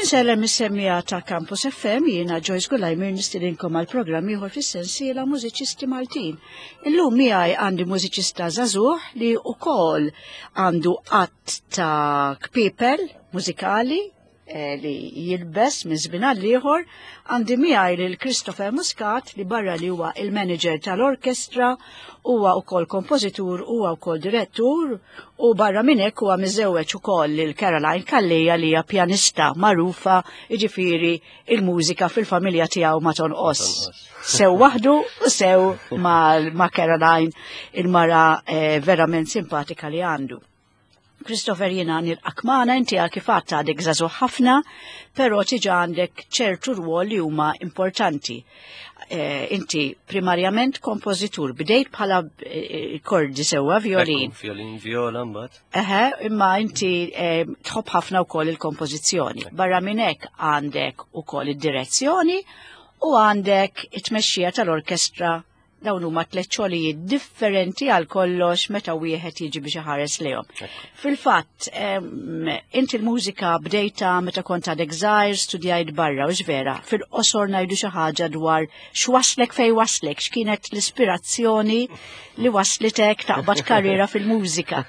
Insellem is-semmija ta' Campus FM jiena Joyce Gulajmir nistidinkom għal programm ieħor fis-sensiela Mużiċisti Maltin. Illum miegħi għandi mużiċista żagħżugħ li wkoll għandu qatt ta' kpipel mużikali Eh, li jilbes minn żmien għal ieħor għandi miegħi lil Christopher Muscat li barra li huwa il-manager tal-orkestra huwa wkoll kompożitur huwa wkoll direttur u barra minn hekk huwa miżewweġ ukoll lil Caroline Calleja li hija pjanista magħrufa jiġifieri il-mużika fil-familja tiegħu ma tonqos. Sew waħdu u sew ma' Caroline il-mara eh, verament simpatika li għandu. Christopher jiena nilqak magħna inti għal kif għadt għadek żagħżugħ ħafna, però tiġa għandek ċertu rwol li huma importanti. Eh, inti primarjament kompożitur, bdejt bħala eh, kordi sewwa violin. Violin, viola mbagħad. Eħe, imma inti eh, tħobb ħafna wkoll il-kompożizzjoni. Barra minn hekk għandek ukoll id-direzzjoni u għandek it-tmexxija tal-orkestra Dawn huma tliet xogħlijiet differenti għal kollox meta wieħed jiġi biex iħares lejhom. Fil-fatt, inti l-mużika bdejta meta kont għadek żgħir studjajt barra u vera, fil-qosor ngħidu xi ħaġa dwar x'waslek fejn waslek, x'kienet l-ispirazzjoni li waslitek taqbad karriera fil-mużika.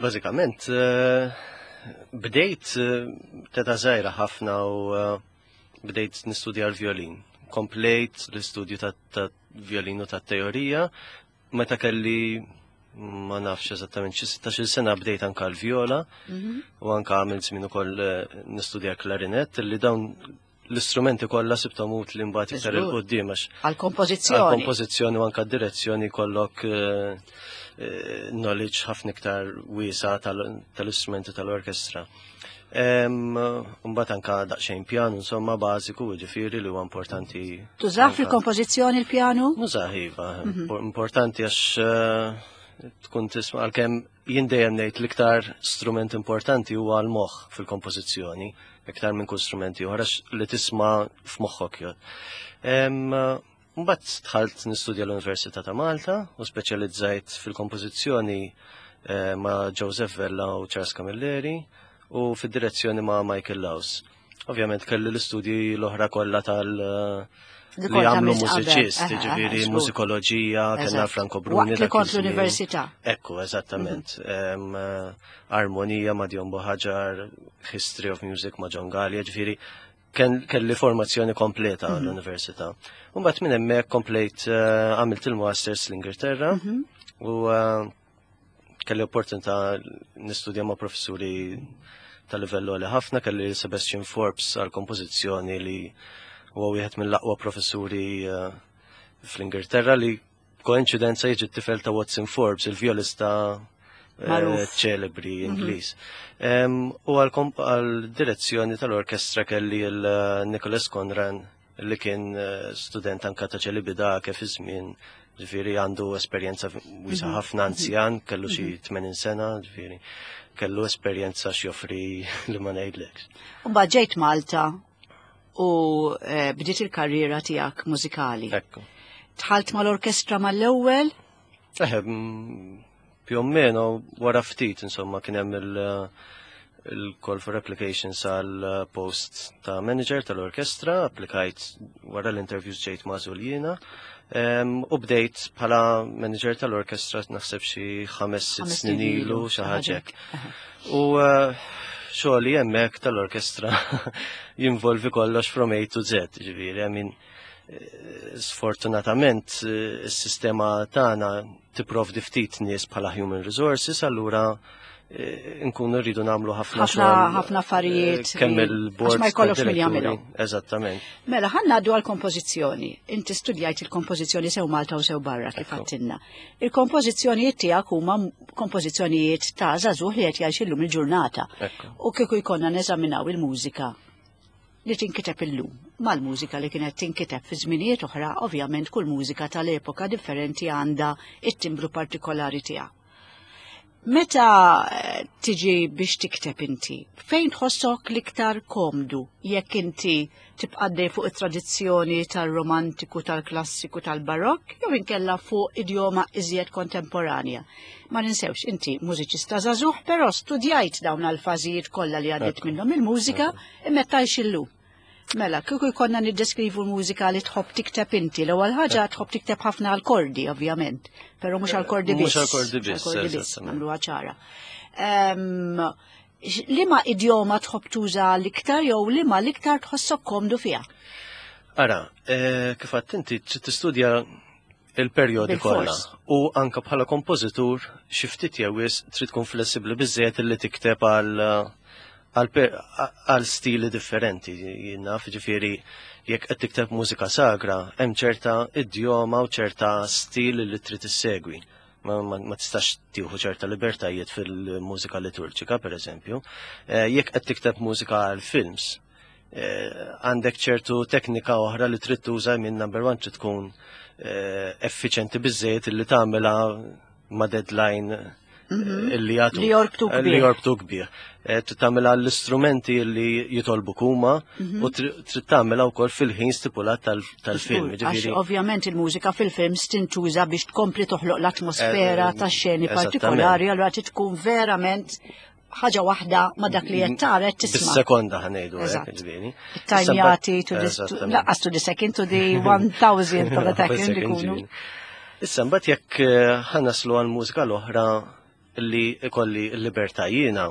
Bażikament, eh, bdejt eh, teta żgħira ħafna u eh, bdejt nistudja l-violin. Komplejt l-istudju ta' violin u ta' teorija. Meta kelli ma nafx eżattament xi 16 sena bdejt anka l-viola mhm. u anka għamilt żmien ukoll eh, nistudja klarinett li dawn l-istrumenti kollha sibthom utli mbagħad iktar il qudiem għax għall-kompożizzjoni. Għall-kompożizzjoni u anka d-direzzjoni kollok eh, eh, knowledge ħafna iktar wiesa tal-istrumenti tal-orkestra. Mbagħad anka daqsxejn pjanu insomma bażiku ġifieri li huwa importanti. Tużah fil-kompożizzjoni l-pjanu? Nużah iva, mhm. importanti għax eh, tkun tisma' għalkemm jien dejjem ngħid l-iktar strument importanti huwa l-moħħ fil-kompożizzjoni, iktar minn kull strumenti oħra li tisma' f'moħħok. Mbagħad dħalt nistudja l-Università ta' Malta u speċjalizzajt fil-kompożizzjoni eh, ma' Joseph Vella u Charles Camilleri u fid-direzzjoni ma' Michael Laus. Ovvjament kelli l-istudji l-oħra kollha tal- eh, li għamlu mużiċist, ġifiri mużikoloġija, kellna Franco Bruni. Waqt li kont l-università. Ekku, eżattament. Mhm. Eh, armonija ma' Dion Boħaġar, History of Music ma' John Gallia, ġifiri kelli formazzjoni kompleta mhm. l-università. Mbagħad minn hemmhekk komplejt eh, għamilt il-masters l-Ingilterra mhm. u eh, kelli opportunità nistudja ma' professuri ta' livell li ħafna, kelli Sebastian Forbes għal kompożizzjoni li huwa wieħed mill-aqwa professuri eh, fl-Ingilterra li Koinċidenza jiġi t-tifel ta' Watson Forbes, il-violista eh, ċelebri mhm. Ingliż. U għal-direzzjoni tal-orkestra kelli il-Nicholas Conran li kien eh, student anka ta' ċelibida kif iż-żmien ġifieri għandu esperjenza wisa mhm. ħafna anzjan, kellu xi 80 mhm. sena, ġifieri kellu esperjenza x'joffri li ma ngħidlekx. U ġejt Malta u eh, bdiet il-karriera tiegħek mużikali. Ekku. Tħalt mal-orkestra mal-ewwel? Eħe, più o meno wara ftit insomma kien hemm il-call for applications għal post ta' manager tal-orkestra, applikajt wara l-interviews ġejt magħżul jiena. U bdejt bħala manager tal-orkestra naħseb xi ħames sitt snin ilu xi ħaġa U eh, xogħli hemmhekk tal-orkestra jinvolvi kollox from A to Z, ġifieri, I mean, eh, sfortunatament eh, is-sistema tagħna tipprovdi ftit nies bħala human resources, allura Eh, nkunu rridu nagħmlu ħafna ħafna affarijiet. Eh, kemm il-bord. Ma jkollokx min jagħmilhom. Eżattament. Mela ħanna għaddu għall-kompożizzjoni. Inti studjajt il-kompożizzjoni sew Malta u sew barra kif għattinna. Il-kompożizzjonijiet tiegħek huma kompożizzjonijiet ta' żagħżugħ li qed jgħix illum il-ġurnata. U kieku jkollna neżaminaw il-mużika li tinkiteb illum mal-mużika li kienet tinkiteb fi żminijiet oħra, ovvjament kull mużika tal-epoka differenti għandha it-timbru partikolari tiegħu. Meta eh, tiġi biex tikteb inti, fejn tħossok l-iktar komdu jekk inti tibqa' fuq it-tradizzjoni tal-romantiku, tal-klassiku, tal-barokk, jew inkella fuq idjoma iżjed kontemporanja. Ma ninsewx, inti mużiċista żagħżugħ, però studjajt dawn għal-fażijiet kollha li għaddiet minnhom il-mużika imma tajx illum. Mela, kieku jkollna niddeskrivu l-mużika li tħobb tikteb inti, l-ewwel ħaġa tħobb tikteb ħafna għal-kordi, ovvjament, però mhux għal-kordi biss. Mhux għal-kordi biss, biss, nagħmluha ċara. Liema idjoma tħobb tuża l-iktar jew liema l-iktar tħossok komdu fiha? Ara, eh, kif għadt inti trid tistudja il-perjodi kollha u anka bħala kompożitur xi ftit jew wisq trid tkun flessibbli biżżejjed li tikteb għal għal stili differenti. Jien naf ġifieri jekk qed tikteb mużika sagra, hemm ċerta idjoma u ċerta stil li trid issegwi. Ma, ma, ma tistax tieħu ċerta libertajiet fil-mużika liturġika, per eżempju. Eh, jekk qed tikteb mużika għal films, eh, għandek ċertu teknika oħra li trid tuża minn number one trid tkun eh, effiċenti biżejjed li tagħmilha ma' deadline mhm. illi jagħtu. Li jorbtu kbir. Li jorbtu kbir. Eh, trid tagħmilha l-istrumenti li jitolbu kuma mhm. u trid tagħmilha wkoll fil-ħin stipulat tal-film. Għax ovvjament il-mużika fil-films tintuża biex tkompli toħloq l-atmosfera eh, tax-xeni partikolari, allura trid tkun verament ħaġa waħda ma dak li qed tara qed tisma'. Bis-sekonda ħanejdu hekk ġifieri. Tajmjati to the laqqas to the second to the 1000 of a second ikunu. Issa mbagħad jekk eh, ħanaslu għal mużika l-oħra li ikolli l-libertà jiena,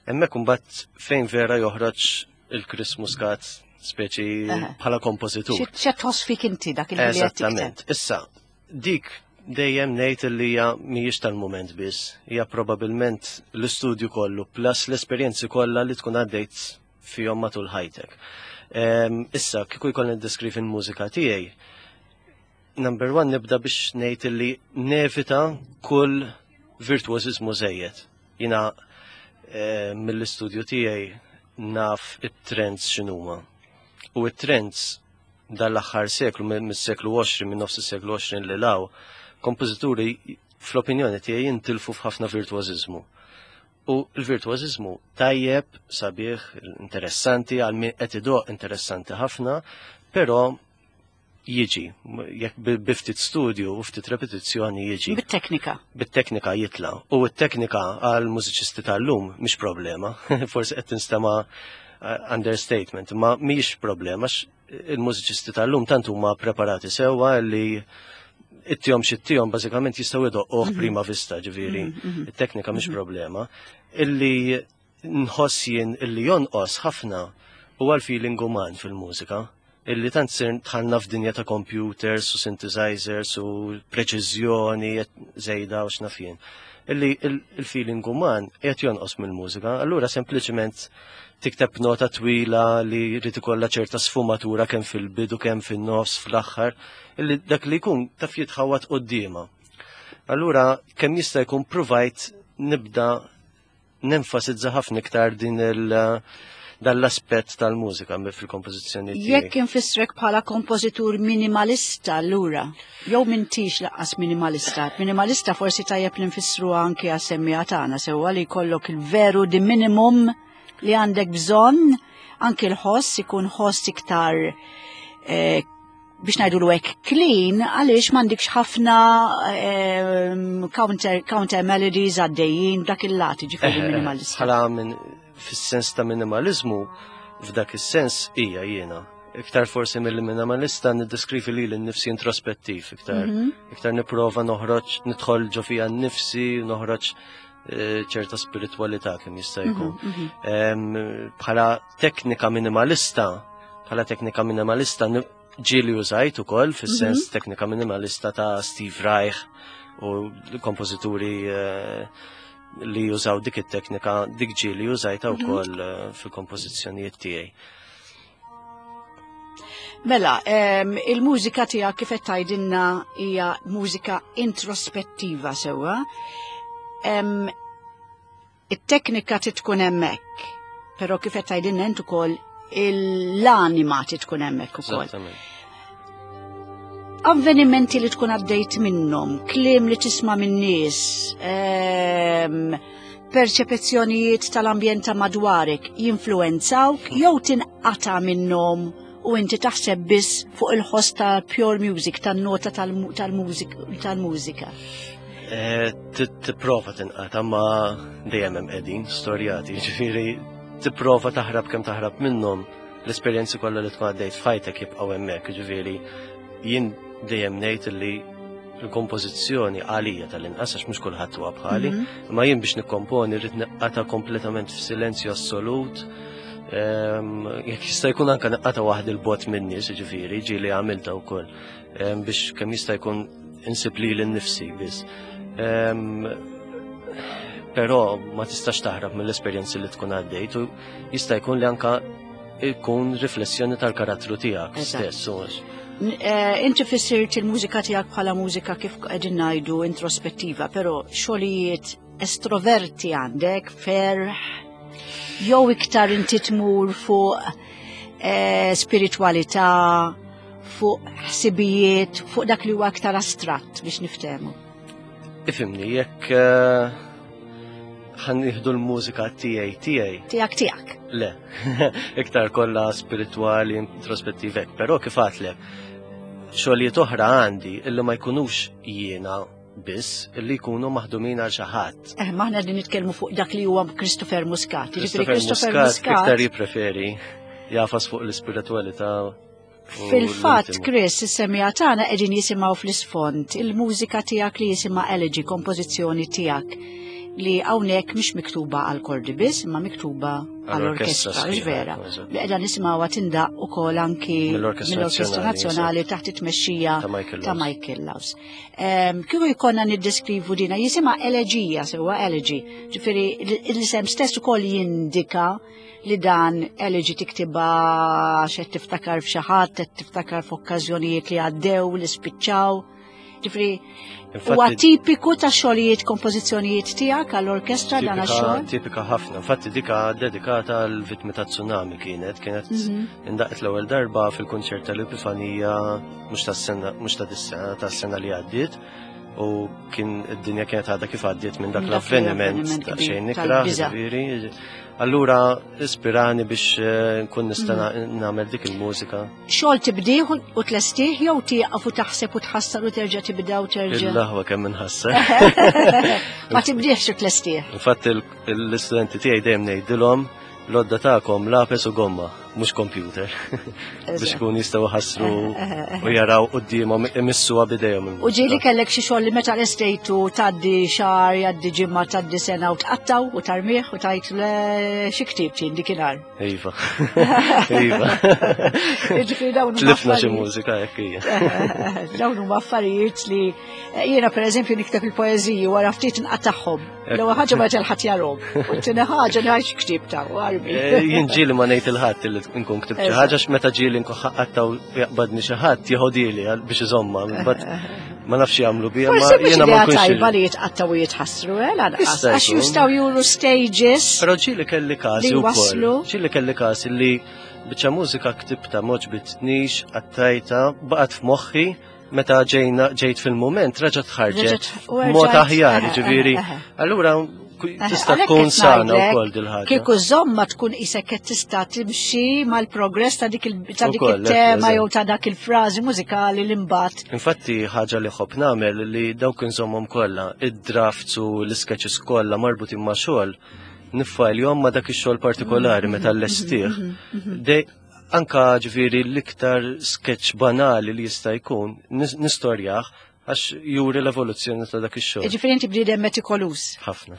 hemmhekk imbagħad fejn vera joħroġ il-Chris Muscat speċi bħala kompożitur. X'qed tħoss fik inti dak il Eżattament. Issa, dik dejjem ngħid li hija mhijiex tal-mument biss, hija probabbilment l-istudju kollu plus l-esperjenzi kollha li tkun għaddejt fihom matul ħajtek. Ehm, issa, kieku jkollni niddeskrivi l-mużika tiegħi, number one nibda biex ngħid li nevita kull virtuosizmu żejjed. Jina eh, mill-istudju tiegħi naf it-trends x'inhuma. U it-trends dal-aħħar seklu, mis-seklu 20, minn nofs is-seklu 20 li law, kompożituri fl-opinjoni tiegħi jintilfu f'ħafna virtuożiżmu. U l-virtuożiżmu tajjeb, sabiħ, interessanti, għal min qed idoq interessanti ħafna, però jiġi, jekk bi ftit studju u ftit repetizzjoni jiġi. Bit-teknika. Bit-teknika jitla. U t-teknika għal mużiċisti tal-lum mhix problema. Forsi qed tinstema' eh, understatement, ma mhix problema il-mużiċisti tal-lum tant huma preparati sewwa li ittihom xittihom bażikament jistgħu jdoqquh mhm. prima vista ġifieri. Mhm, mhm. It-teknika mhix problema. Illi nħoss jien illi jonqos ħafna huwa l-feeling uman fil-mużika illi tant sir tħanna f'dinja ta' computers u synthesizers u preċiżjoni żejda u x'naf jien. Illi il-feeling uman qed jonqos mill-mużika, allura sempliċement tikteb nota twila li jrid ikollha ċerta sfumatura kemm fil-bidu kemm fin-nofs fl-aħħar, illi dak li jkun taf jitħawat quddiema. Allura kemm jista' jkun provajt nibda nenfasizza ħafna iktar din il- dan l-aspett tal-mużika fil-kompożizzjoni tiegħi. Jekk infissrek bħala kompożitur minimalista allura, jew mintix laqqas minimalista. Minimalista forsi tajjeb li nfissru anke għas-semmiegħa tagħna sewwa li jkollok il-veru di minimum li għandek bżonn, anke l-ħoss ikun ħoss iktar eh, biex ngħidu l hekk clean għaliex m'għandikx ħafna ehm, counter, counter melodies għaddejjin dak il-lat ġifieri eh, minimalista. Bħala minn fis-sens ta' minimalizmu f'dak is-sens hija jiena. Iktar forsi mill-minimalista niddeskrivi li l-nifsi introspettiv, iktar, mm -hmm. iktar niprova noħroġ, nidħol ġo fija nnifsi, noħroġ eh, ċerta spiritualità kemm jista' jkun. Mhm, mhm. Bħala teknika minimalista, bħala teknika minimalista ġieli użajt ukoll fis-sens mhm. teknika minimalista ta' Steve Reich u l-kompożituri eh, li jużaw dik it-teknika, dik ġieli użajta mhm. wkoll eh, fil-kompożizzjonijiet tiegħi. Mela, il-mużika tiegħek kif qed tgħidilna hija mużika introspettiva sewwa. It-teknika trid tkun hemmhekk, però kif qed tgħidilna int ukoll l-anima trid tkun hemmhekk ukoll. Avvenimenti li tkun għaddejt minnhom, kliem li tisma' minn nies, perċepezzjonijiet tal-ambjent ta' madwarek jinfluwenzawk jew tinqata' minnhom u inti taħseb biss fuq il-ħoss ta' pure music, tan-nota tal-mużika? Eh, tipprova tinqata' ma dejjem hemm qegħdin storjati, ġifieri tipprova taħrab kemm taħrab minnhom l-esperjenzi kollha li tkun għaddejt f'ħajtek jibqgħu hemmhekk, ġifieri jien dejjem ngħid li l-kompożizzjoni għalija tal-inqas għax mhux kulħadd huwa bħali, mhm. imma jien biex nikkomponi rrid neqqata kompletament f'silenzju assolut. Ehm, jekk jista' jkun anke neqqata waħd il-bot minni, ġifieri, ġieli għamilta wkoll ehm, biex kemm jista' jkun insib lili nnifsi biss. Ehm, però ma tistax taħrab mill-esperjenzi li tkun għaddejt u jista' jkun li anka jkun riflessjoni tal-karattru tiegħek stess. Eh, inti fissirt il-mużika tiegħek bħala mużika kif qegħdin ngħidu introspettiva, però xogħlijiet estroverti għandek, ferħ, jew iktar inti tmur fuq eh, spiritualità, fuq ħsibijiet, fuq dak li huwa aktar astratt biex niftehmu. Ifimni, jekk eh, ħan nieħdu l-mużika tiegħi tiegħi. Tiegħek tiegħek. Le, iktar kollha spiritwali, introspettivek, però kif għatlek, xogħlijiet oħra għandi illi ma jkunux jiena biss illi jkunu maħdumin għal xi ħadd. Eh, maħna qegħdin nitkellmu fuq dak li huwa Christopher Muscat. Christopher Muscat iktar jippreferi jafas fuq l-ispiritualità. Fil-fatt, Chris, is-semija tagħna qegħdin jisimgħu fl-isfond il-mużika tiegħek li jisimha Elegy, kompożizzjoni tiegħek li hawnhekk mhix miktuba għal kordi biss, imma miktuba għall-orkestra, vera. Li qiegħda nisimgħuha tindaq ukoll anki mill-Orkestra Nazzjonali taħt it-tmexxija ta' Michael Laws. Kieku jkollna niddeskrivu dina jisimha eleġija sewwa elegy, ġifieri l-isem stess ukoll jindika li dan elegy tiktibha għax qed tiftakar f'xi ħadd, qed tiftakar f'okkażjonijiet li għaddew, li spiċċaw. Ġifri, huwa tipiku ta' xogħlijiet kompożizzjonijiet tiegħek għall-orkestra dan għax-xogħol? Tipika ħafna. Infatti dika dedikata għal vittmi ta' tsunami kienet, kienet mhm. indaqet l-ewwel darba fil-kunċert tal-Epifanija mhux tas-sena mhux ta' dis-sena tas-sena li għaddiet u kien id-dinja kienet għadha kif għaddiet minn dak l-avveniment ta' xejn nikra, ġifieri. Allura ispirani biex eh, nkun nista' mhm. nagħmel dik il-mużika. Xogħol tibdih u tlestih jew tieqaf u taħseb u tħassar u terġa' tibda u terġa'. Il-laħwa kemm inħassar. Ma tibdihx u tlestih. Infatti l-istudenti tiegħi dejjem ngħidilhom l-odda tagħkom lapes u gomma, mhux computer. Biex ikun jistgħu ħassru u jaraw quddiemhom imissuha bidejhom. U ġieli kellek xi xogħol li meta lestejtu tgħaddi xahar, jgħaddi ġimgħa, tgħaddi sena u tqattaw u tarmih u tajt le xi ktieb ġien dikinhar. Iva. Iva. Ġifieri dawn Tlifna xi mużika hekk hija. Dawn huma affarijiet li eh, jiena pereżempju nikteb il-poeżiji wara ftit nqattagħhom. L-ewwel ħaġa ma ħadd jarhom. U t-tieni ħaġa ngħid ktib ta' armi. Eh, jien ġieli ma ngħid il-ħadd li nkun ktib xi ħaġa meta ġieli nkun ħaqqattaw jaqbadni xi ħadd jieħodili biex iżomma. Ma nafx jagħmlu bija ma jiena ma nkunx. tajba li jitqattaw u jitħassru, eh, lanqas. Għax jistgħu juru stages. Però ġieli kelli każi wkoll. Ġieli kelli każi li biċċa mużika ktibta moġbitnix, qattajta, baqgħet f'moħħi meta ġejna ġejt fil-moment reġgħet ħarġet mod aħjar, eh, ġifieri. Eh, eh, allura tista' tkun sana wkoll dil-ħaġa. Kieku żomma tkun isek qed tista' timxi mal-progress ta' dik il-tema jew ta' dak il-frażi mużikali li mbagħad. Infatti ħaġa li ħobb nagħmel li dawk inżommhom kollha, id-drafts u l-isketches kollha marbutin ma' xogħol, niffajljhom ma' dak ix-xogħol partikolari meta l-lestih. Mhm, mhm, mhm. Anka ġifieri l-iktar sketch banali li jista' jkun nistorjah għax juri l-evoluzzjoni ta' dak ix-xogħol. Ġifieri inti bniedem metikolus. Ħafna.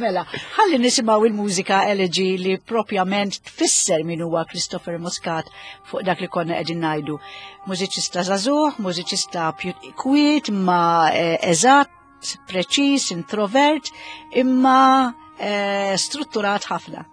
Mela, ħalli nisimgħu il-mużika elegy li propjament tfisser min huwa Christopher Muscat fuq dak li konna qegħdin ngħidu. Mużiċista żagħżugħ, mużiċista kwiet ma eh, eżatt, preċiż, introvert, imma eh, strutturat ħafna.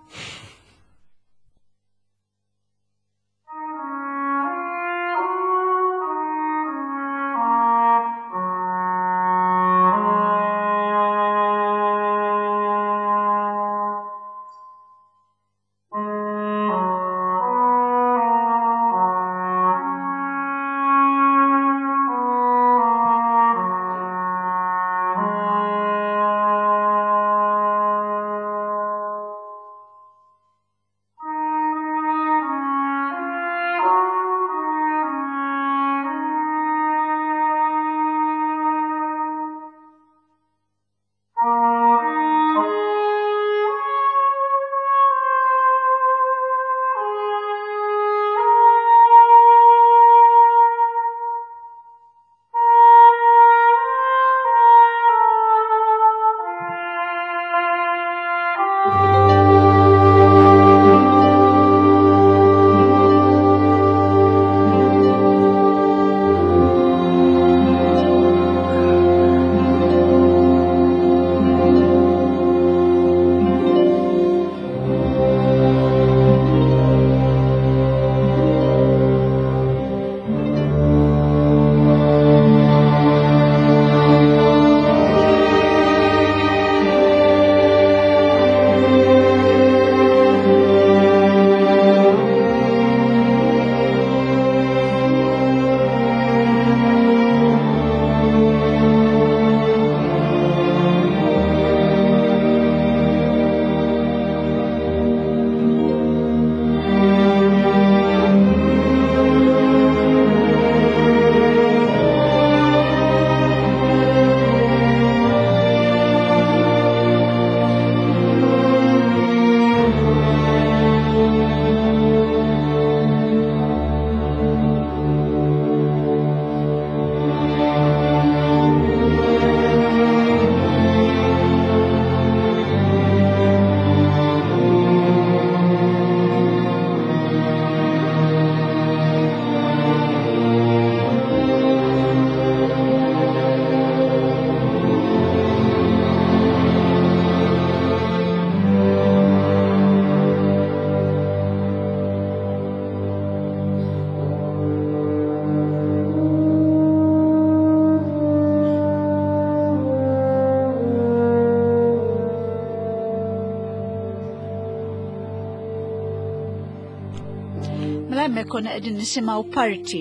Mela hemmhekk konna qegħdin nisimgħu parti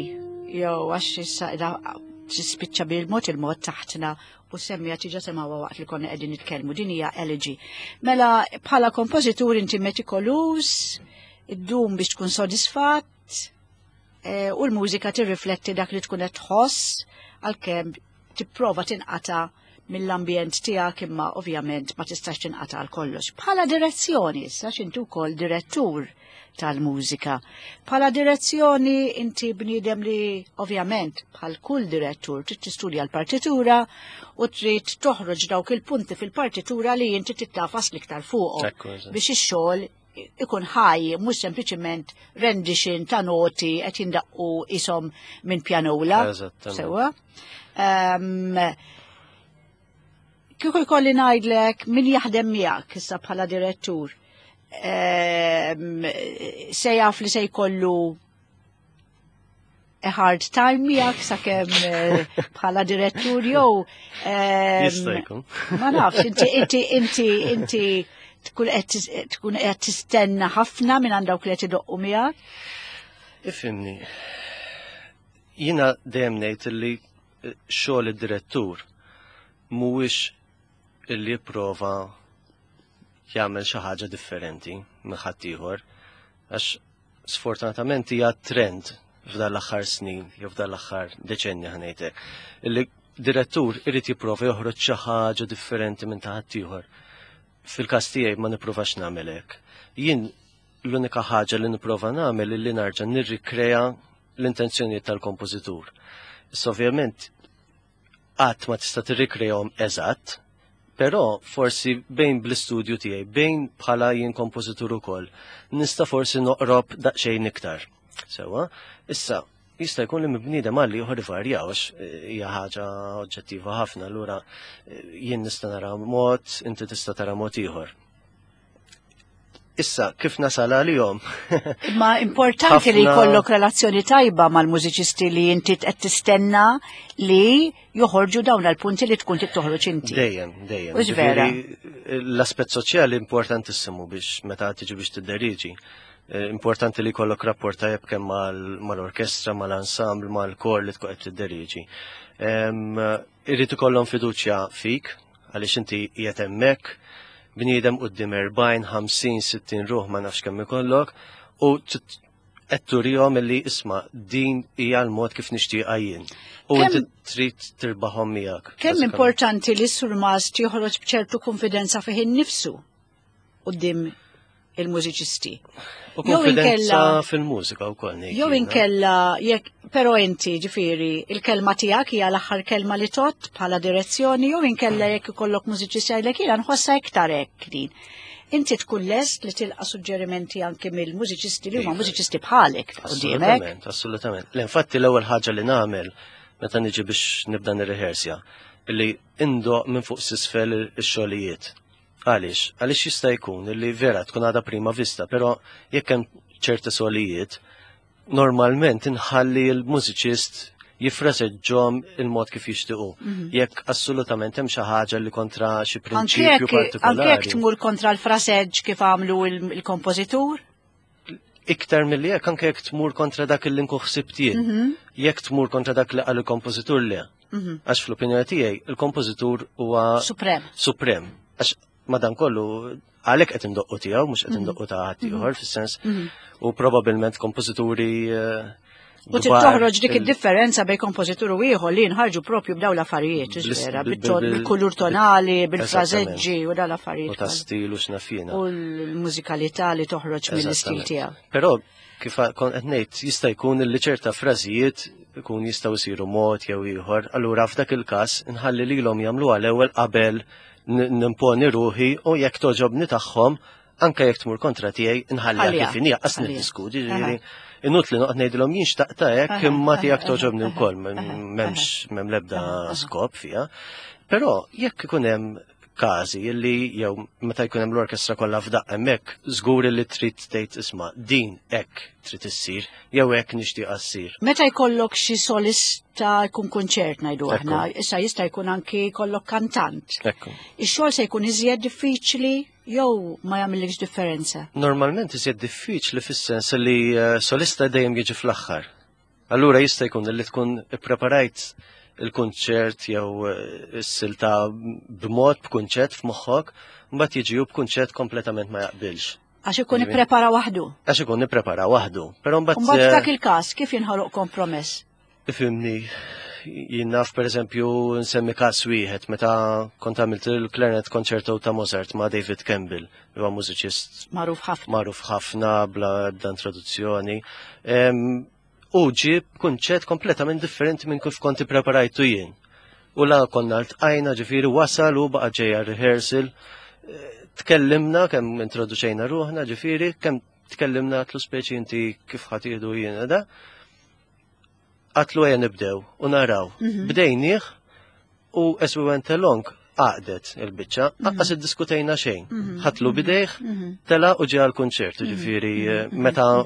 jew għax issa qiegħda tispiċċa bil-mod il-mod taħtna u semmija tiġa semgħuha waqt li konna qegħdin nitkellmu din hija elegy. Mela bħala kompożitur inti metikoluż, iddum biex tkun sodisfatt eh, u l-mużika tirrifletti dak li tkun qed tħoss għalkemm tipprova tinqata' mill-ambjent tiegħek imma ovvjament ma tistax tinqata' għal kollox. Bħala direzzjoni issa x'inti wkoll direttur tal-mużika. Bħala direzzjoni inti bniedem li ovvjament bħal kull direttur trid tistudja l-partitura u trid toħroġ dawk il-punti fil-partitura li inti tittafas l-iktar fuqhom biex ix-xogħol ikun ħaj, mhux sempliċiment rendition ta' noti qed jindaqqu isom minn pjanola. Sewwa. Um, kieku jkolli ngħidlek min jaħdem miegħek issa bħala direttur, um, se jaf li se jkollu a hard time miegħek sakemm eh, bħala direttur jew ehm, Jista' jkun. Ma nafx, inti inti inti inti tkun qed tkun qed tistenna ħafna minn għand dawk li qed idoqqu miegħek. Ifhimni. Jiena dejjem ngħid li eh, xogħol id-direttur mhuwiex illi jipprova jagħmel xi ħaġa differenti minn ħaddieħor għax sfortunatament hija trend f'dan l-aħħar snin jew f'dan l-aħħar deċenni ħanejtek. Illi direttur irid jipprova joħroġ xi ħaġa differenti minn ta' ħaddieħor. Fil-każ tiegħi ma nippruvax nagħmel hekk. Jien l-unika ħaġa li nipprova nagħmel illi narġa' nirrikrea l-intenzjonijiet tal-kompożitur. Issa ovvjament qatt ma tista' tirrikrejhom eżatt, però forsi bejn bl-istudju tiegħi, bejn bħala jien kompożitur ukoll, nista' forsi noqrob daqsxejn iktar. Sewwa, issa jista' jkun li mibniedem għal ieħor ivarjaw għax eh, hija ħaġa oġġettiva ħafna, allura eh, jien nista' nara mod, inti tista' tara mod ieħor. Issa, kif nasal għalihom? Imma importanti li jkollok relazzjoni tajba mal-mużiċisti li inti qed tistenna li joħorġu dawn l-punti li tkun trid toħroġ inti. Dejjem, dejjem. Mhux vera. L-aspett soċjali importantissimu biex meta tiġi biex tidderiġi. Eh, importanti li jkollok rapport tajjeb kemm mal-orkestra, mal-ensemble, mal-kor li tkun qed tidderiġi. Irrid ikollhom fiduċja fik, għaliex inti qiegħed hemmhekk bniedem quddiem 40, 50, 60 ruħ ma nafx kemm ikollok u qed turihom illi isma' din hija l-mod kif nixtieqha jien. U inti trid tirbaħhom miegħek. Kemm importanti li s-surmast joħroġ b'ċertu konfidenza fih innifsu quddiem il-mużiċisti. U konfidenza fil-mużika wkoll. Jew inkella jekk però inti ġifieri il-kelma tiegħek hija l-aħħar kelma li tot bħala direzzjoni jew inkella jekk ikollok mużiċisti jgħidlek jiena nħossha iktar hekk din. Inti tkun lest li tilqa' suġġerimenti anke mill-mużiċisti li huma iva. mużiċisti bħalek quddiemek. Assolutament, assolutament. L-infatti l-ewwel ħaġa li nagħmel meta niġi biex nibda nirrehersja illi indoq minn fuq s'isfel ix-xogħlijiet. Għaliex? Għaliex jista' jkun li vera tkun għadha prima vista, però jekk hemm ċerti solijiet, normalment inħalli l-mużiċist jifraseġġhom il-mod kif jixtiequ. Mhm. Jekk assolutament hemm xi ħaġa li kontra xi prinċipju partikolari. Anke jekk tmur kontra l-fraseġġ kif għamlu il-kompożitur? Iktar milli jekk anke jekk tmur kontra dak li nkun ħsibt jien. Mhm. Jekk tmur kontra dak li qal il-kompożitur le. Mhm. Għax fl-opinjoni tiegħi il-kompożitur huwa suprem. Suprem. Għax madankollu għalhekk qed indoqqu tiegħu mhux qed mhm. indoqqu ta' ħadd ieħor fis-sens u probabbilment kompożituri eh, U trid toħroġ dik id-differenza bejn kompożitur u ieħor li nħarġu propju b'daw l-affarijiet, vera, bil-kulur tonali, bil-frażeġġi u daw l-affarijiet. U ta' stil u x'nafjina. U l-mużikalità li toħroġ mill-istil tiegħu. Però kif kon qed ngħid jista' jkun li ċerta frażijiet ikun jistgħu jsiru mod jew ieħor, allura f'dak il-każ nħalli lilhom jagħmluha l-ewwel qabel nimponi ruħi u jekk toġobni tagħhom anke jekk tmur kontra tiegħi nħalliha kif inhi qas niddiskuti, ġifieri inutli noqgħod ngħidilhom jien xtaqta hekk imma tiegħek toġobni wkoll m'hemmx m'hemm l-ebda skop fiha. Però jekk ikun hemm każi illi jew meta jkun hemm l-orkestra kollha f'daqqa hemmhekk żgur li trid tgħid isma' din hekk trid issir jew hekk nixtieqha ssir. Meta jkollok xi solista jkun kunċert ngħidu aħna, issa jista' jkun anki jkollok kantant. Ekku. Ix-xogħol se jkun iżjed diffiċli jew ma jagħmilx differenza? Normalment iżjed diffiċli fis-sens li eh, solista dejjem jiġi fl-aħħar. Allura jista' jkun li tkun ippreparajt il-kunċert jew eh, is-silta b'mod b'kunċett f'moħħok, mbagħad jiġi hu b'kunċett kompletament ma jaqbilx. Għax ikun ipprepara waħdu. Għax ikun ipprepara waħdu. Però mbagħad Mbagħad f'dak il-każ kif jinħoloq kompromess? Ifhimni, jien naf pereżempju nsemmi każ wieħed meta kont għamilt il-Clarinet Concerto ta' Mozart ma' David Campbell, li huwa mużiċist magħruf ħafna. Magħruf ħafna bla ebda introduzzjoni. U ġie b'kunċett kompletament differenti minn kif kont ippreparajtu jien. U la konna ltqajna ġifieri wasal u baqa' ġejja rehearsal. Eh, tkellimna kemm introduċejna ruħna ġifieri, kemm tkellimna għatlu speċi inti kif ħatiħdu jiena da. Għatlu għaja nibdew u naraw. Mhm. Bdejnieh u as we went along għaqdet il-biċċa, mhm. aqqas iddiskutejna xejn. Mhm. Ħatlu bidejh, tela u ġie għall-kunċert, ġifieri eh, meta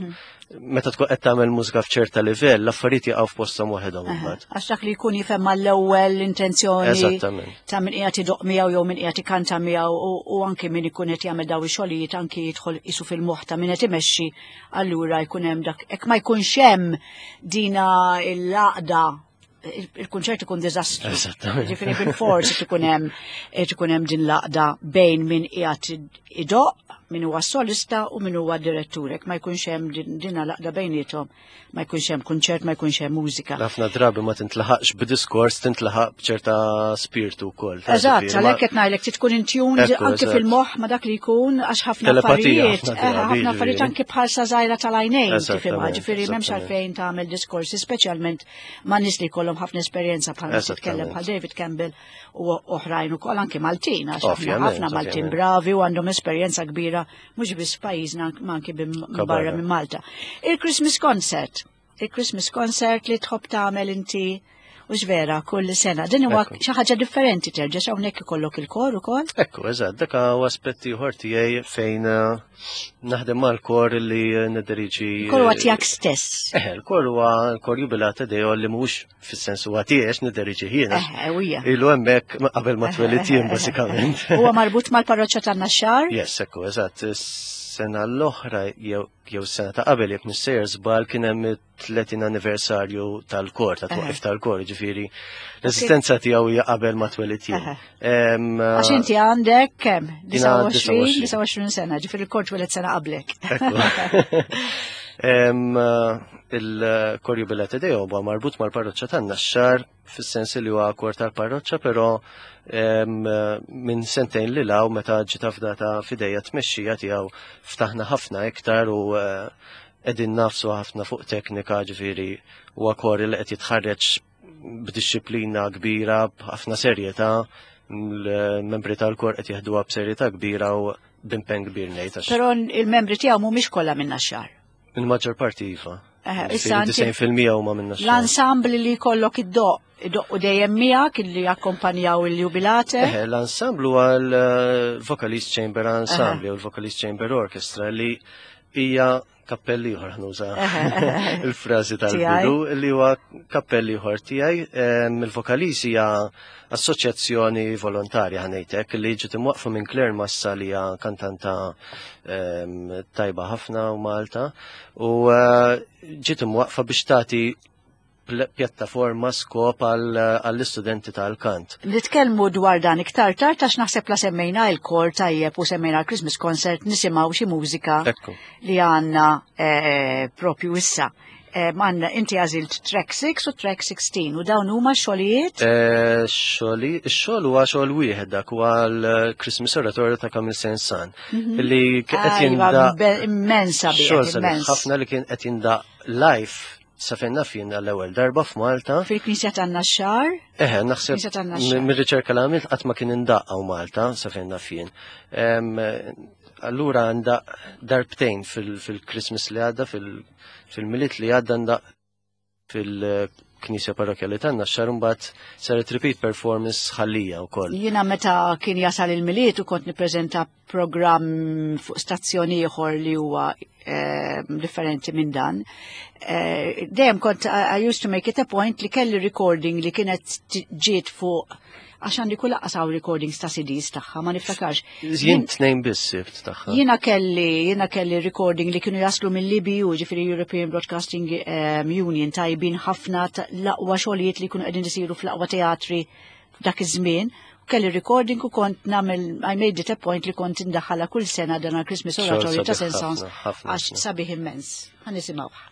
meta tkun qed tagħmel mużika f'ċerta livell, l-affarijiet jaqgħu f'posthom waħedhom imbagħad. Għax dak li jkun jifhem mal-ewwel l-intenzjoni ta' min qiegħed idoq miegħu jew min qiegħed ikanta miegħu u anki min ikun qed jagħmel daw ix-xogħlijiet anki jidħol isu fil-moħħ ta' min qed imexxi allura jkun hemm dak hekk ma jkunx hemm dina l-għaqda il-kunċert ikun diżastru. Ġifieri bil-fors ikun hemm ikun hemm din l-għaqda bejn min qiegħed idoq, min huwa solista u min huwa direttur. Hekk ma jkunx hemm din l-għaqda bejniethom ma jkunx hemm kunċert, ma jkunx hemm mużika. Ħafna drabi ma tintlaħaqx b'diskors, tintlaħaq b'ċerta spirtu wkoll. Eżatt, għalhekk qed ngħidlek trid tkun in tune anke fil-moħħ ma dak li jkun għax ħafna affarijiet, eh, ħafna affarijiet anke bħalsa żgħira tal-għajnejn tifhimha, ġifieri m'hemmx għalfejn tagħmel diskorsi speċjalment ma' nies li jkollhom ħafna esperjenza bħal titkellem bħal David Campbell u oħrajn ukoll anke Maltin għax ħafna Maltin bravi u għandhom esperjenza kbira mhux biss f'pajjiżna ma anki barra minn Malta. Il-Christmas concert, il-Christmas concert li tħobb tagħmel inti u vera kull sena. Din huwa xi ħaġa differenti terġa' hawnhekk ikollok il-kor ukoll. Ekku, eżatt, dak huwa aspett ieħor tiegħi fejn eh, naħdem mal-kor li nidiriġi. Kor huwa tiegħek stess. Eh, il-kor huwa l-kor jubilata deo li mhux fis-sens huwa tiegħek nideriġi jiena. Eh, Ilu hemmhekk qabel ma twelid jien bażikament. Huwa marbut mal-parroċċa tan-Naxxar? Yes, ekku, eżatt. Sena l-oħra jew sena ta' qabel jekk nissejjer żball kien hemm 30 anniversarju tal-kor, ta' twaqif tal-kor, ġifieri l-eżistenza tiegħu hija qabel ma twelid jien. Għax inti għandek kemm? 29 29 sena, ġifieri l-kor tweled sena qablek. Il-kor Jubilate Deo huwa marbut mal-parroċċa tan-Naxxar fis-sens li huwa kor tal-parroċċa, però minn sentejn li law meta ġiet afdata f'idejja tmexxija tiegħu ftaħna ħafna iktar u eh, qegħdin nafsu ħafna fuq teknika ġifieri huwa kor li qed jitħarreġ b'dixxiplina kbira, b'ħafna serjetà, l-membri tal-kor qed jeħduha b'serjetà kbira u b'impenn kbir ngħid. Però il-membri tiegħu mhumiex kollha minn Naxxar. Il-maġġor parti iva. Issa 90% huma minn Naxxar. L-ensemble li jkollok id-doq, id-doq u dejjem miegħek li jakkompanjaw il-jubilate. L-ensemble huwa l-Vocalist Chamber Ensemble u l-Vocalist Chamber Orchestra li hija kappell ieħor ħnuża il-frażi tal-bidu li huwa kappell ieħor tiegħi. Il-Vokalis hija assoċjazzjoni volontarja ħanejtek li ġiet imwaqfa minn Claire Massa li hija kantanta tajba ħafna u Malta u eh, ġiet imwaqfa biex tagħti pjattaforma skop għall-istudenti tal-kant. Nitkellmu dwar dan iktar tard għax naħseb la semmejna il-kor tajjeb u semmejna l-Christmas concert nisimgħu xi mużika li għandna eh, propju issa. Eh, għandna inti għażilt track 6 u track 16 u dawn huma xogħlijiet? Eh, xogħli, x-xogħol huwa xogħol wieħed dak huwa l-Christmas Oratorio ta' Camille Saint-Saëns mhm. li qed ah, iva, jinda immensa xogħol ħafna li kien qed jinda live sa fejn naf jien għall-ewwel darba f'Malta. Fil-Knisja tan-Naxxar? Eħe, naħseb mir-riċerka li għamilt qatt ma kien indaqqa Malta sa fejn naf jien. Allura għandaq darbtejn fil-Christmas li għadda, fil-Milied li għadda ndaq fil fil-Knisja Parrokjali tan-Naxxar mbagħad saret repeat performance ħallija wkoll. Jiena meta kien jasal il-Milied u kont nippreżenta programm fuq stazzjoni ieħor li huwa differenti minn dan. Dejjem kont I used to make it a point li kelli recording li kienet ġiet fuq għax għandi kull laqqas hawn recordings ta' CDs tagħha, ma niftakarx. Jien tnejn biss sibt tagħha. Jiena kelli recording li kienu jaslu mill-EBU, ġifieri European Broadcasting Union, tajbin ħafna l-aqwa xogħlijiet li kienu qegħdin isiru fl-aqwa teatri f'dak iż-żmien. Kelli recording u kont nagħmel I made it a point li kont indaħħalha kull sena dan għal-Christmas Xogħol Oratorio ta' sabiħ Saint-Saëns ħafna, ħafna, għax ħafna. sabiħ immens. Ħa nisimgħuh.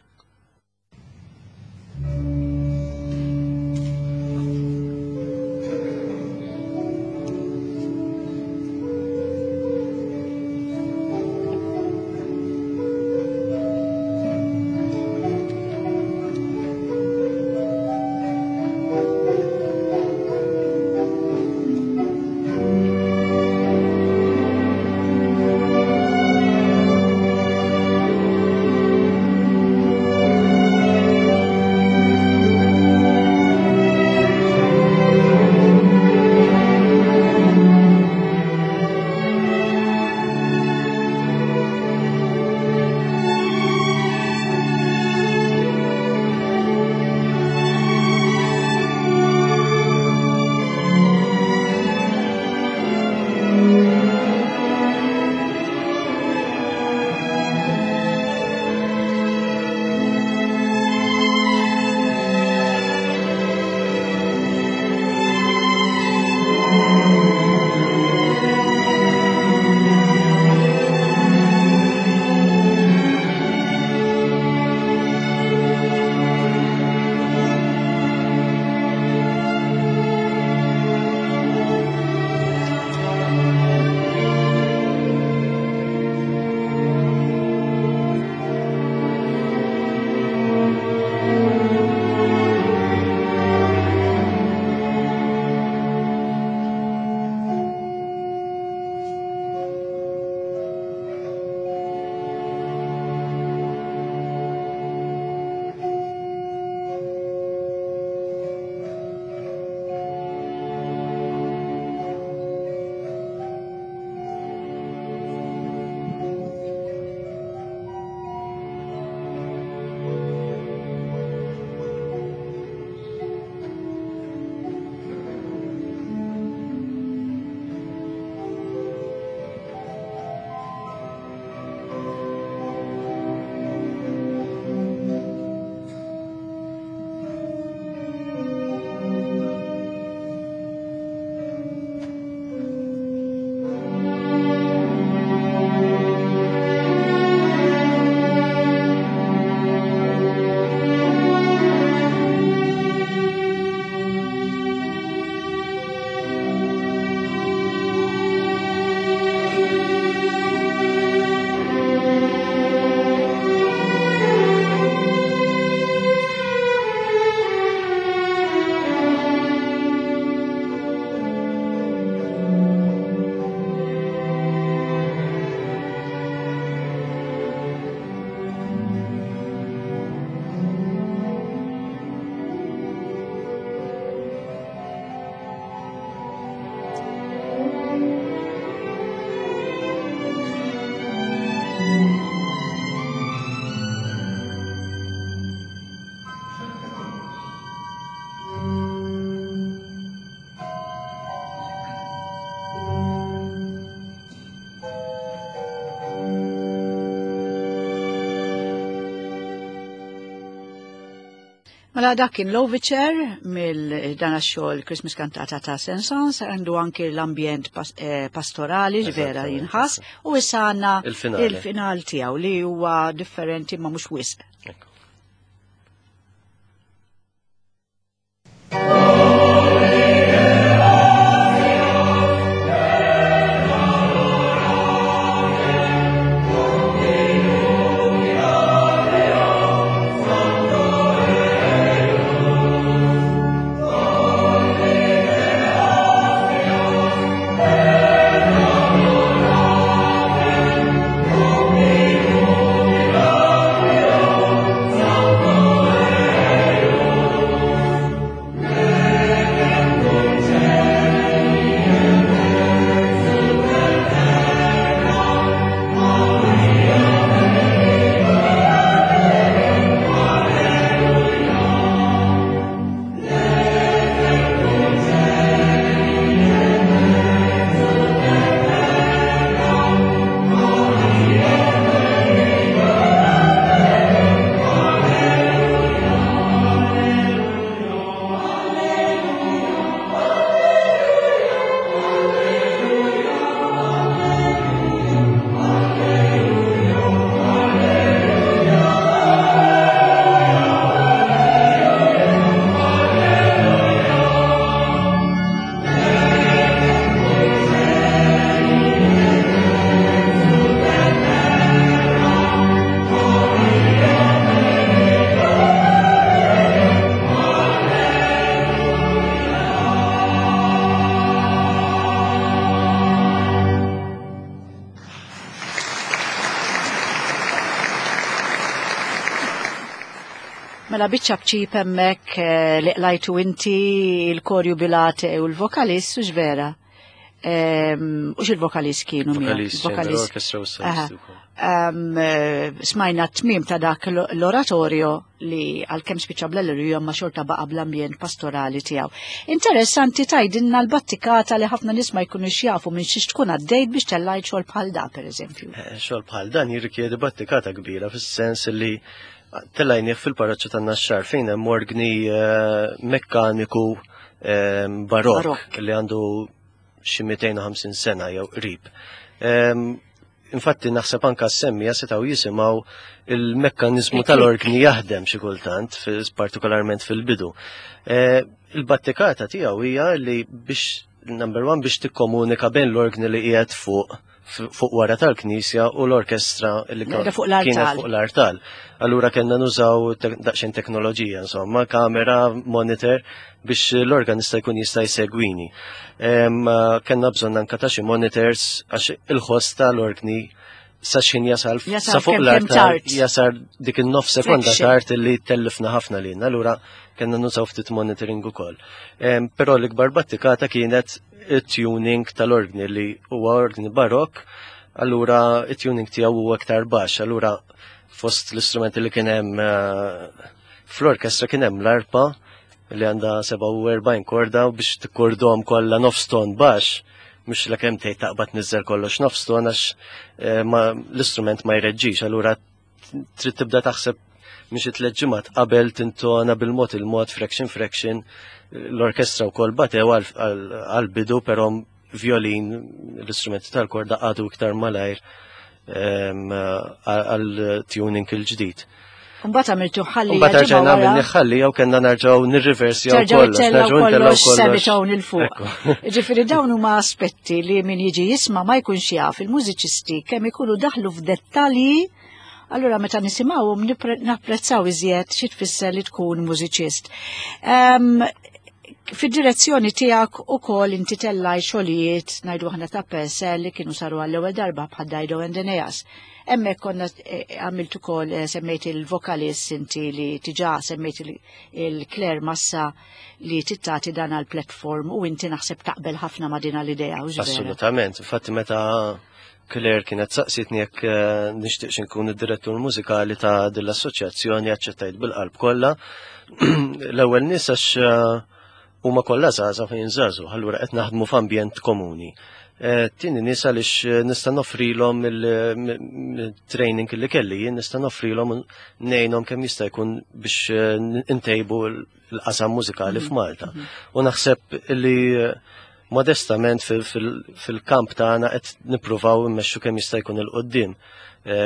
Mela dak kien Lovitcher mill dan xogħol Christmas Cantata ta' Saint-Saëns, għandu anki l-ambjent pastorali vera jinħass, u issa għandna Il-finale. il-final tiegħu li huwa differenti ma mhux wisq. Ekku. Mela biċċa bċip hemmhekk eh, li qlajtu inti il-kor jubilate u l-vokalist u vera. Ehm, u xil-vokalist kienu Vokalist, orkestra u solisti eh, Smajna t-tmim ta' dak l-oratorio li għal-kem spiċa bl-alleluja ma xorta baqa bl-ambjent pastorali tiegħu. Interessanti tajdinna l-battikata li ħafna nies ma jkunux jafu minn xiex tkun għaddejt biex tellajt xogħol bħal da pereżempju. Eh, xogħol bħal dan jirrikjedi battikata kbira fis-sens li tellajnieh fil-parroċċa tan-Naxxar fejn hemm orgni eh, mekkaniku eh, barokk li għandu xi 250 sena jew qrib. Ehm, infatti naħseb anka semmija setgħu jisimgħu il-mekkaniżmu tal-orgni jaħdem xi kultant, partikolarment fil-bidu. Eh, il-battikata tiegħu hija li biex number one biex tikkomunika bejn l-orgni li qiegħed fuq fuq wara tal-knisja u l-orkestra li kienet fuq l-artal. Allura kellna nużaw daqsxejn teknoloġija, insomma, kamera, monitor biex l-organista jkun jista' jsegwini. Kellna bżonn anka ta' xi monitors għax il-ħoss tal-orgni sa xħin jasal sa fuq l-artal jasal dik il-nof sekonda tard li tellifna ħafna lilna, allura kellna nużaw ftit monitoring ukoll. Però l-ikbar battikata kienet it-tuning tal-orgni li huwa orgni barok, allura it-tuning tiegħu huwa aktar baxx, allura fost l-istrumenti li kien hemm eh, fl-orkestra kien hemm l-arpa li għandha 47 korda u biex tikkordhom kollha nofs ton baxx, mhux la kemm tgħid taqbad niżel kollox nofs ton għax eh, l-istrument ma jreġġix, allura trid tibda taħseb minn xi tliet ġimgħat qabel tintona bil-mod il-mod fraction fraction l-orkestra wkoll batew għal-bidu però violin l-istrumenti tal-korda għadu iktar malajr ehm, għal-tuning il-ġdid. Mbagħad għamiltu ħalli. Mbagħad rġajna għamilni ħalli jew kellna nerġgħu nirriversi jew kollox. Nerġgħu kollox sebitgħu il fuq. Ġifieri dawn huma aspetti li min jiġi jisma' ma jkunx jaf il-mużiċisti kemm ikunu daħlu f'dettalji Allura meta nisimgħuhom napprezzaw iżjed xi tfisser li tkun mużiċist. Ehm, fid-direzzjoni tiegħek ukoll inti tellaj xogħlijiet ngħidu aħna ta' Purcell li kienu saru għall-ewwel darba bħal Dido and Aeneas. Hemmhekk konna eh, għamilt ukoll eh, semmejt il-vokalist inti li tiġa semmejt il-Claire Massa li tittati dan għal platform u inti naħseb taqbel ħafna ma' din l-idea. Assolutament, infatti meta Claire kienet saqsitni jekk eh, nixtieqx inkun id-direttur mużikali ta' din l-assoċjazzjoni aċċettajt bil-qalb kollha. L-ewwel nies għax huma kollha żgħażagħ fejn żagħżugħ, allura qed naħdmu f'ambjent komuni. Eh, tieni nies għaliex eh, nista' noffrilhom il-training li kelli jien nista' noffrilhom ngħinhom kemm jista' jkun biex eh, intejbu l-qasam mużikali mhm. f'Malta. Mhm. U naħseb li modestament fil-kamp tagħna qed nippruvaw immexxu kemm jista' jkun il-qoddim.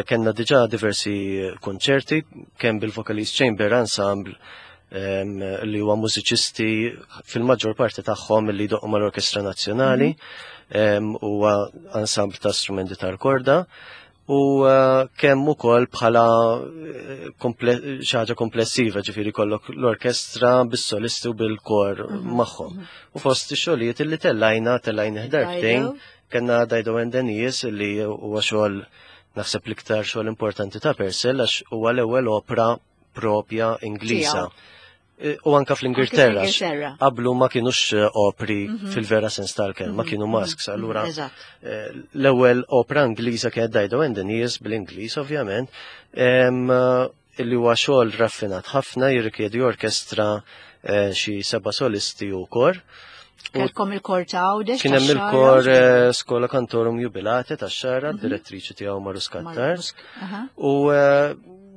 Kenna diġà diversi konċerti kemm bil-Vocalist Chamber Ensemble li huwa mużiċisti fil-maġġor parti tagħhom li jdoqqu mal-Orkestra Nazzjonali mhm. huwa ensemble ta' strumenti tal-korda u eh, kemm ukoll bħala eh, xi ħaġa komplessiva ġifieri kollok l-orkestra bis-solisti u bil-kor mhm. magħhom. Mhm. U fost ix-xogħlijiet li tellajna tellajna darbtejn kellna Dido and Aeneas li huwa xogħol naħseb l-iktar xogħol importanti ta' Purcell għax huwa l-ewwel opra propja Ingliża. E, u anka fl-Ingilterra. Qablu ma kienux e, opri mhm. fil-vera sens tal-kelma, mhm. kienu mhm. masks. Allura e, l-ewwel opra Ingliża kienet Dido and Aeneas bl-Ingliż ovvjament, illi huwa xogħol raffinat ħafna jirrikjedi orkestra xi seba' solisti u kor. Kelkom il-kor ta' Għawdex. Kien hemm il-kor Skola Kantorum Jubilate tax-Xara, direttriċi tiegħu Marus Kattar. U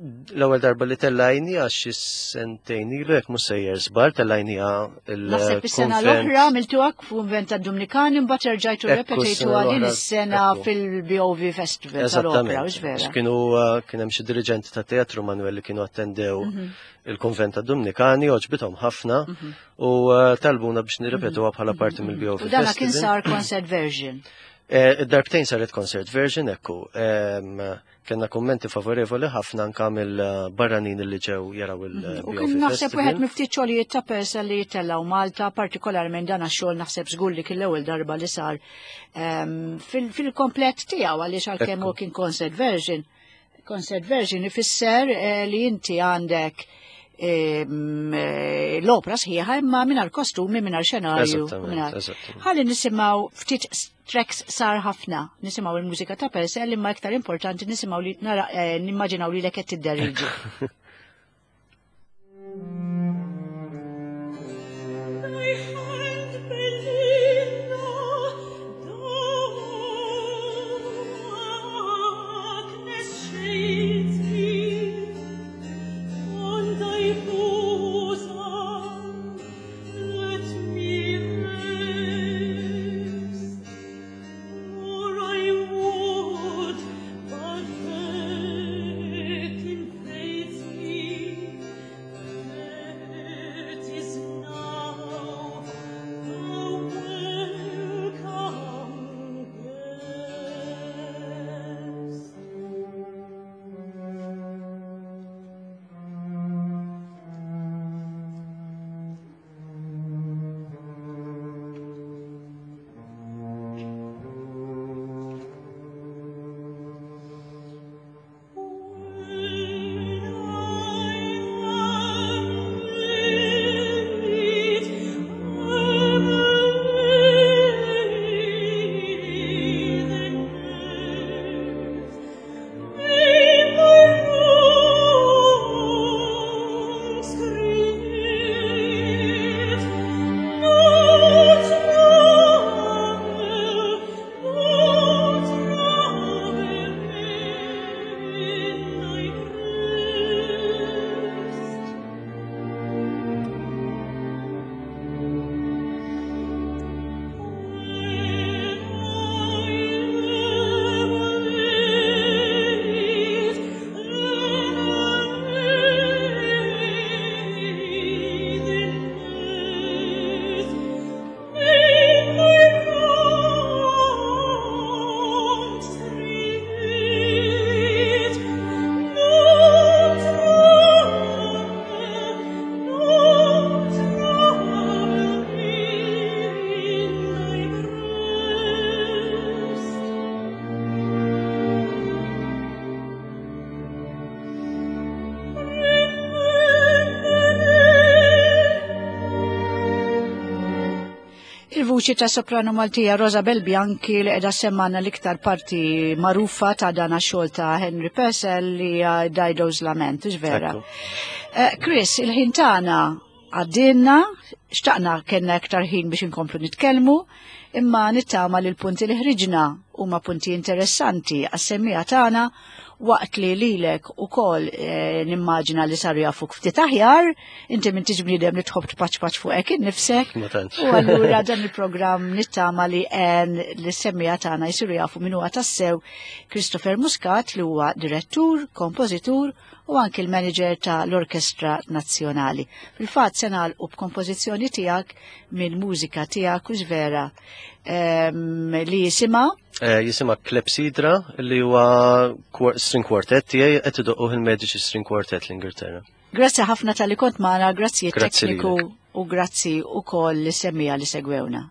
l-ewwel darba li tellajni għax xi sentejn ilu jekk mhux sejjer żball tellajniha il Naħseb is-sena l-oħra għamiltuha f'kunvent tad-Dumnikani mbagħad erġajtu repetejtuha din is-sena fil-BOV Festival tal-Opera, hux vera? Kienu eh, kien hemm xi diriġenti ta' teatru Manuel li kienu attendew mhm. il-konvent tad-Dumnikani għoġbithom ħafna mhm. u eh, talbuna biex nirrepetuha bħala parti mill-BOV Festival. U dana kien sar concert version. Eh, id-darbtejn saret concert version, ekku. Kenna kummenti favorevoli ħafna anka mill-barranin li ġew jaraw il mhm. U kien naħseb wieħed miftit xogħlijiet ta' persa li jitellgħu Malta, partikolarment dan għax-xogħol naħseb żgur li kien l-ewwel darba li sar ehm, fil-komplet tiegħu għaliex għalkemm hu kien concert version. Concert version ifisser eh, li inti għandek l-opra sħiħa imma mingħajr kostumi, mingħajr xenarju. Ħalli nisimgħu ftit tracks sar ħafna, nisimgħu il-mużika ta' Purcell imma iktar importanti nisimgħu li nara eh, nimmaġinaw li lek qed tidderiġi. Il-vuċi ta' soprano Maltija Rosabel Bianchi li qiegħda semmana l-iktar parti magħrufa ta' dana xogħol ta' Henry Purcell li hija Dido's Lament, vera. Eh, Chris, il-ħin tagħna għaddinna, xtaqna kellna iktar ħin biex inkomplu nitkellmu, imma nittama li l-punti li ħriġna huma punti interessanti għas-semmija tagħna waqt li lilek ukoll eh, nimmaġina li saru jafuk ftit aħjar, inti minn tiġ bniedem li tħobb tpaċpaċ fuqek innifsek. U allura dan il-programm nittama li għen li semmija tagħna jsiru jafu min huwa tassew Christopher Muscat li huwa direttur, kompożitur u anki l-manager ta' l-Orkestra Nazzjonali. Fil-fatt se nagħlqu b'kompożizzjoni tiegħek minn mużika tiegħek u vera ehm, li jisimha eh, jisimha Klepsidra li huwa string quartet tiegħi qed idoqquh il-Medici String Quartet l-Ingilterra. Grazzi ħafna tal-li kont magħna, grazzi tekniku u grazzi ukoll li semmija li segwewna.